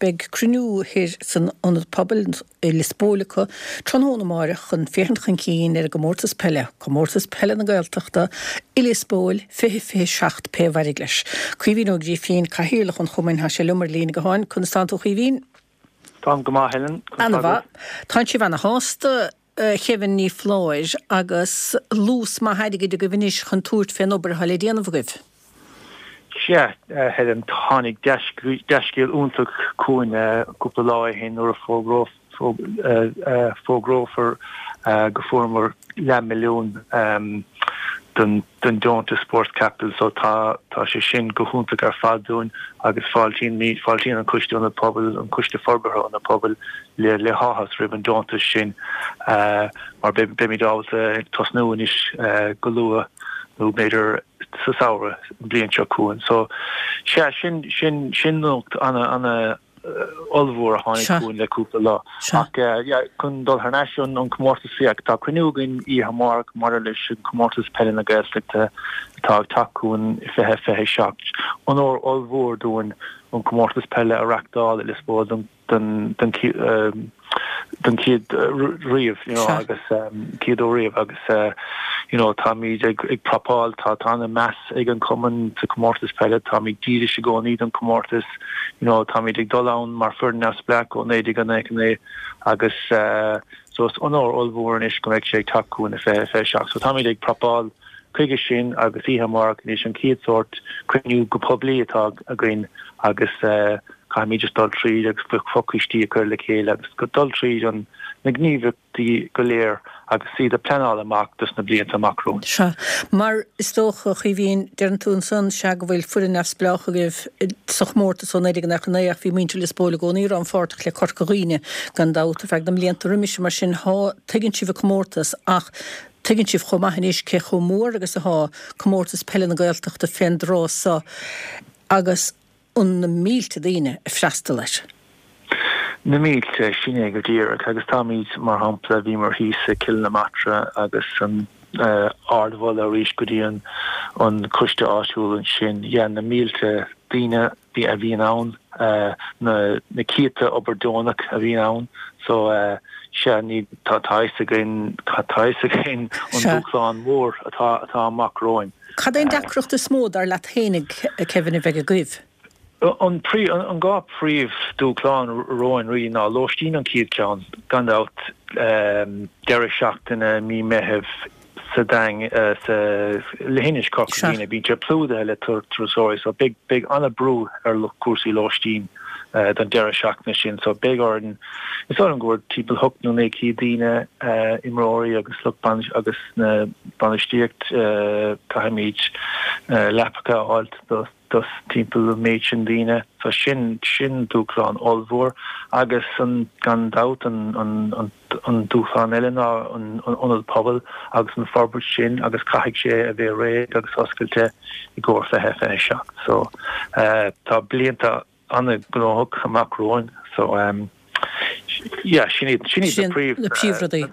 Beidh cruinniú thoir san Ionad Pobail i Lios Póil acu tráthnóna amáireach chun féachaint chun cinn ar an gcomórtas peile, Comórtas Peile na Gaeltachta i Lios Póil 2027 pé a mhairfidh leis. Caoimhín Ó Grífín, Cathaoirleach an Chumainn, tá sé liom ar líne gutháin. Conas tánn tú a Chaoimhín? Táim go maith, Helen. Ana mhaith. Tánn sibh ana shásta, a Kevin Ní Phláir, agus luas maith airgid agaibh anois chun tabhairt fén obair atá le déanamh agaibh. Sea, a Helen, tháinig dea-scéal iontach chugainn cúpla lá ó shin nuair a fógrófar go fuaireamar leathmhilliún don deontas Sports Capital so tá tá sé sin go hiontach ar fad dúinn agus fáiltíonn fáiltíonn an Coiste Ionad Pobail, an Coiste Forbartha Ionad Pobail le le háthas roimh an deontas sin mar beimid ábalta tosnú anois go luath nó b'fhéidir sa samhradh an bhliain seo chugainn. So sea sin sin sin nuacht ana ana ollmhór a tháinig chugainn le cúpla lá. Ach yeah, chun dul thar n-ais an an comórtas yeah, tá cruinniú againn oíche amárach maidir leis an comórtas peile na Gaeltachta atá ag teacht chugainn i 2027. Onóir ollmhór dúinn an comórtas peile a reachtáil i Lios Póil don don don don chéad riamh you know agus chéad uair riamh agus you know táimid ag ag prapáil tá tá ana meas ag an cumann sa comórtas peile táimid dílis i gcónaí don comórtas you know táimid ag dul ann mar foireann neamhspleách ó 1999 agus so is onóir ollmhór anois go mbeidh sé ag teacht chugainn i 2027 so táimid ag prapáil chuige sin agus oíche amárach anois an chéad sórt cruinniú go poiblí atá againn agus Caithfimid just dul tríd agus fochoistí a chur le chéile agus dul tríd an na gníomhaíochtaí go léir agus iad a pleanáil amach dos na blianta amach romhainn. Sea. Mar is dócha, a Chaoimhín, deireann tú ansan, sea, go bhfuil foireann neamhspleách agaibh sa chomórtas ó 1999 ach bhí muintir Lios Póil i gcónaí rannpháirteach le Corca Dhuibhne, gan dabht, ar feadh na mblianta roimis sin. Mar sin, thá, tuigeann sibh an comórtas ach tuigeann sibh chomh maith anois cé chomh mór agus athá Comórtas Peile na Gaeltachta fén dtráth so agus an na mílte daoine ag freastal air. Na mílte, sin é go díreach. Agus táimid, mar shampla, bhíomar thíos i Cill na Martra agus an ardmholadh arís go dtí an an coiste áitiúil ansin. Yeah, na mílte daoine a bhíonn ann, na na céadta obair deonach a bhíonn ann. So, sea, ní, tá tá a fhios againn, tá a fhios againn an dúshlán mór atá atá amach romhainn. Cad é an deacracht is mó, dar leat féinig, a Kevin, a bheidh agaibh? An dhá phríomh dúshlán romhainn really ná lóistín an chéad cheann, gan dabht, deireadh seachtaine mí Meithimh sa Daing, sa Leithinis Corca Dhuibhne, bíonn sé plódaithe le turasóirí so beidh beidh an-brú ar cúrsaí lóistín don deireadh seachtaine sin so beidh orainn, is dóigh liom go bhfuil timpeall 8 nó 900 daoine, imreoirí agus lucht agus na bainistíocht, caithfimid leapacha a fháilt dos timpeall an méid sin daoine. So sin, sin dúshlán ollmhór agus an, gan dabht an, an, an dúshlán eile ná an, an ionad pobail agus an forbairt sin agus caithfidh sé a bheith réidh agus oscailte i gcomhair 2027. So tá blianta an-ghnóthach amach romhainn so yeah sin iad sin iad na príomh na príomhrudaí.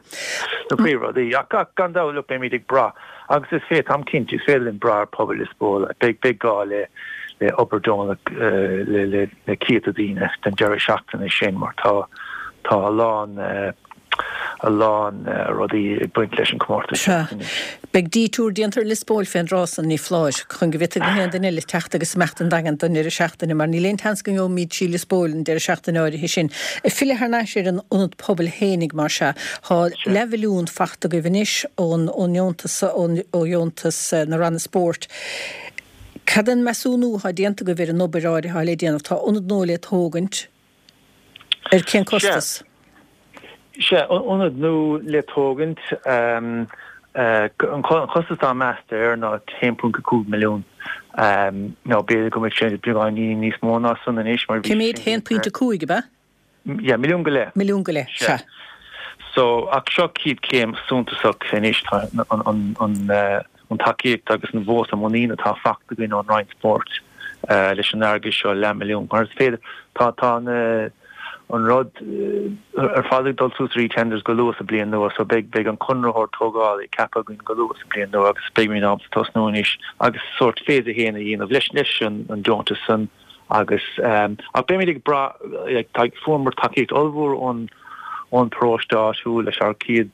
na príomhrudaí ach ach gan dabht look beimid ag brath agus is féidir táim cinnte is féidir linn brath ar pobal Lios Póil beidh beidh gá le le obair deonach le le le céadta daoine don deireadh seachtaine sin mar tá tá a lán a lán rudaí ag baint leis an chomórtas seo anois. Beidh detour déanta ar Lios Póil fén dtráth san, ní foláir, chun go bhféadfaidh na haon duine eile teacht agus imeacht an Daingean don deireadh seachtaine, mar níl aon tseans go ngeobhaimid sí Lios Póil an deireadh seachtaine áirithe sin. Ag filleadh thar n-ais ar an ionad pobail fhéinig, mar sea, thá leathmhilliún fachta agaibh anois ón ndeontas, ó dheontas na Ranna Spóirt. Cad é an measúnú athá déanta agaibh ar an obair áirithe athá le déanamh? Tá ionad nua le tógaint. Ar cén costas? Sea, ionad nua le tógaint. An costas atá measta air ná 1.5 milliún. Nó b'fhéidir go mbeidh sé beagáinín níos mó ná san anois mar bhí. Cé mhéad? 1.5 ab ea? Yeah, milliún go leith. Milliún go leith, sea. So, ach seo chéad chéim suntasach anois, tá an. an tacaíocht agus an vóta muiníne atá fachta againn ón Roinn Spóirt leis an airgead seo, leathmhilliún. Mar is féidir, tá tá na an rud ar fad ag dul suas ar eTenders go luath sa bliain nua so beidh beidh an conraitheoir tógála ceaptha againn go luath sa bliain nua agus beidh muid ábalta tosnú anois agus sórt phase 1 a dhéanamh leis leis an an deontas san. Agus ach beimid ag brath, like, tá, fuaireamar tacaíocht ollmhór ón ón bparóiste áitiúil leis ár chéad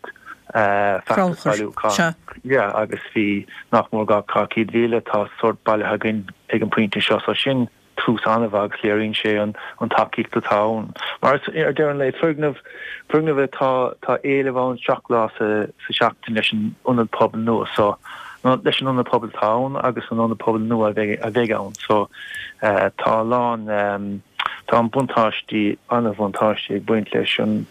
feachtas bailiúcháin. Yeah, agus bhí nach mór 200,000 atá sórt bailithe againn ag an pointe seo, so sin tús an-mhaith agus léiríonn sé an tacaíocht atá ann. Mar ar deireadh an lae, foirgneamh, foirgneamh atá, tá éileamh ann 7 lá sa seachtain leis an ionad pobail nua so, leis an ionad pobail atá ann agus an ionad pobail nua a bheidh, a bheidh ann. So tá a lán, tá an buntáistí, an-bhuntáistí ag baint leis an,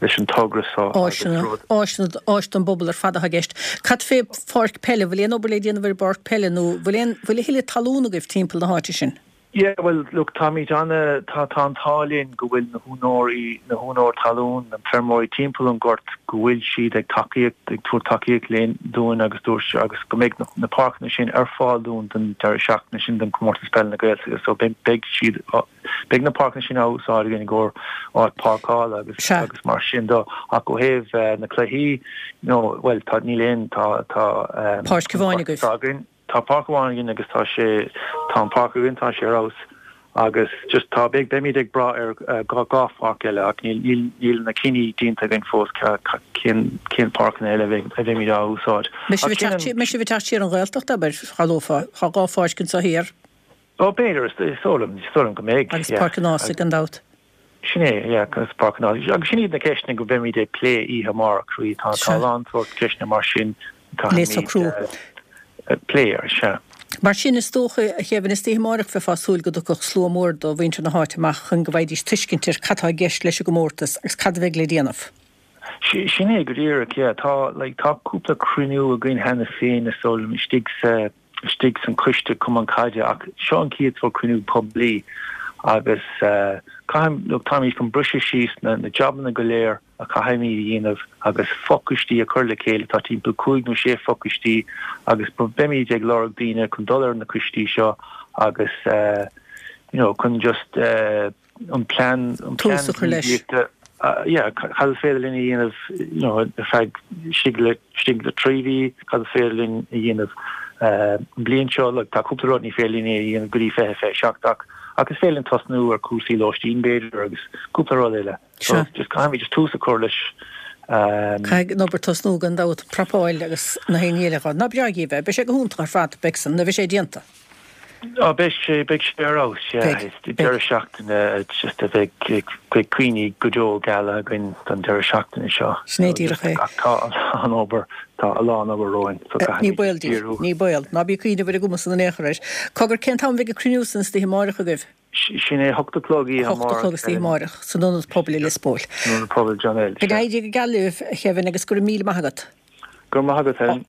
leis an togra so agus rud. Áiseanna, áis don bpobal ar fad atá i gceist. Cad fé pháirc peile, bhfuil aon obair le déanamh ar an bpáirc peile nó bhfuil aon, bhfuil a thuilleadh talún agaibh timpeall na háite sin? Yeah, bhuel, look, táimid ana, tá, tá an t-ádh linn go bhfuil na húinéirí, na húinéir talún, na feirmeoirí timpeall an ghort, go bhfuil siad ag tacaíocht, ag tabhairt tacaíocht linn, dúinn agus dúirt, agus go mbeidh na, na páirceanna sin ar fáil dúinn don deireadh seachtaine sin don Comórtas Peile na Gaeltachta so beidh, beidh siad, Beidh na páirceanna sin á úsáid againn i gcomhair áit páirceála agus agus mar sin de ach ó thaobh na cluichí nó bhuel tá níl aon tá tá Páirc amháin agaibh. againn tá páirc amháin againn agus tá sé tá an páirc againn tá sé ar fheabhas agus just tá beidh beimid ag brath ar dhá pháirc eile ach níl níl níl na cinní déanta againn fós cén cén páirceanna eile a bheidh a bheimid á úsáid. Mbeidh sibh ag teacht mbeidh sibh ag teacht siar an Ghaeltacht abair shamhlófá tá dhá pháirc anseo thiar. Ó, b'fhéidir, is dóigh liom, is dóigh liom go mbeidh, Agus Páirc an Ághasaigh gan dabht. Sin é, yeah, agus Páirc an Ághasaigh. Agus sin iad na ceisteanna go mbeimid ag plé oíche amárach, really. Tá, tá a lán sórt ceisteanna mar sin a Le socrú. ag plé air, sea. Mar sin, is dócha, a Kevin, istoíche amárach bheifeá ag súil go dtiocfadh slua mór do mhuintir na háite amach chun go bhfaighidís tuiscint ar cad tá i gceist leis an gcomórtas agus cad a bheidh le déanamh. Sin é go díreach, yeah. Tá, like, tá cúpla cruinniú againn cheana féin, is dóigh liom, istigh sa, istigh san coiste cumann caide ach seo an chéad sórt cruinniú poiblí agus caithfidh, look, táimid chun briseadh síos na na jabanna go léir a chaithfimid a dhéanamh agus fochoistí a chur le chéile, tá timpeall cúig nó sé fochoistí agus beimid ag lorg daoine chun dul ar na coistí seo agus you know chun just an plean an plean Tús a chur leis. gníomhaíochta yeah cad is féidir linn a dhéanamh you know ar feadh istigh le istigh le 3 mhí cad is féidir linn a dhéanamh an bhliain seo like tá cúpla rud ní féidir linn a dhéanamh go dtí 2027 ach ach is féidir linn tosnú ar cúrsaí lóistín b'fhéidir agus cúpla rud eile so just caithfimid just tús a chur leis Caithfidh an obair tosnú gan dabht prapáil agus na haon ní eile dhá. Ná breá dhíobh é. Beidh sé go hiontach ar fad beidh san nuair a bheidh sé déanta. Á, beidh sé, beidh sé ar fheabhas, yeah. Beidh, beidh. Deireadh seachtaine just a bheidh, beidh cuimhní go deo geala againn don deireadh seachtaine seo. Sin é díreach é. Ach tá an obair, tá a lán obair romhainn so Ní caithfimid baol díobh, díriú. ní baol. Ná bí ag cuimhneamh ar an gcuma san in aon chor air. Cogar, cén t-am a bheidh an cruinniú san istoíche amáireach agaibh? Sin é, 8 a chlog oíche 8 a chlog istoíche amáireach, san Ionad Pobail i Lios Póil. San Ionad Pobail John L. Go n-éirí go geal libh, a Kevin, agus go raibh míle maith agat. Go raibh maith agat, Helen.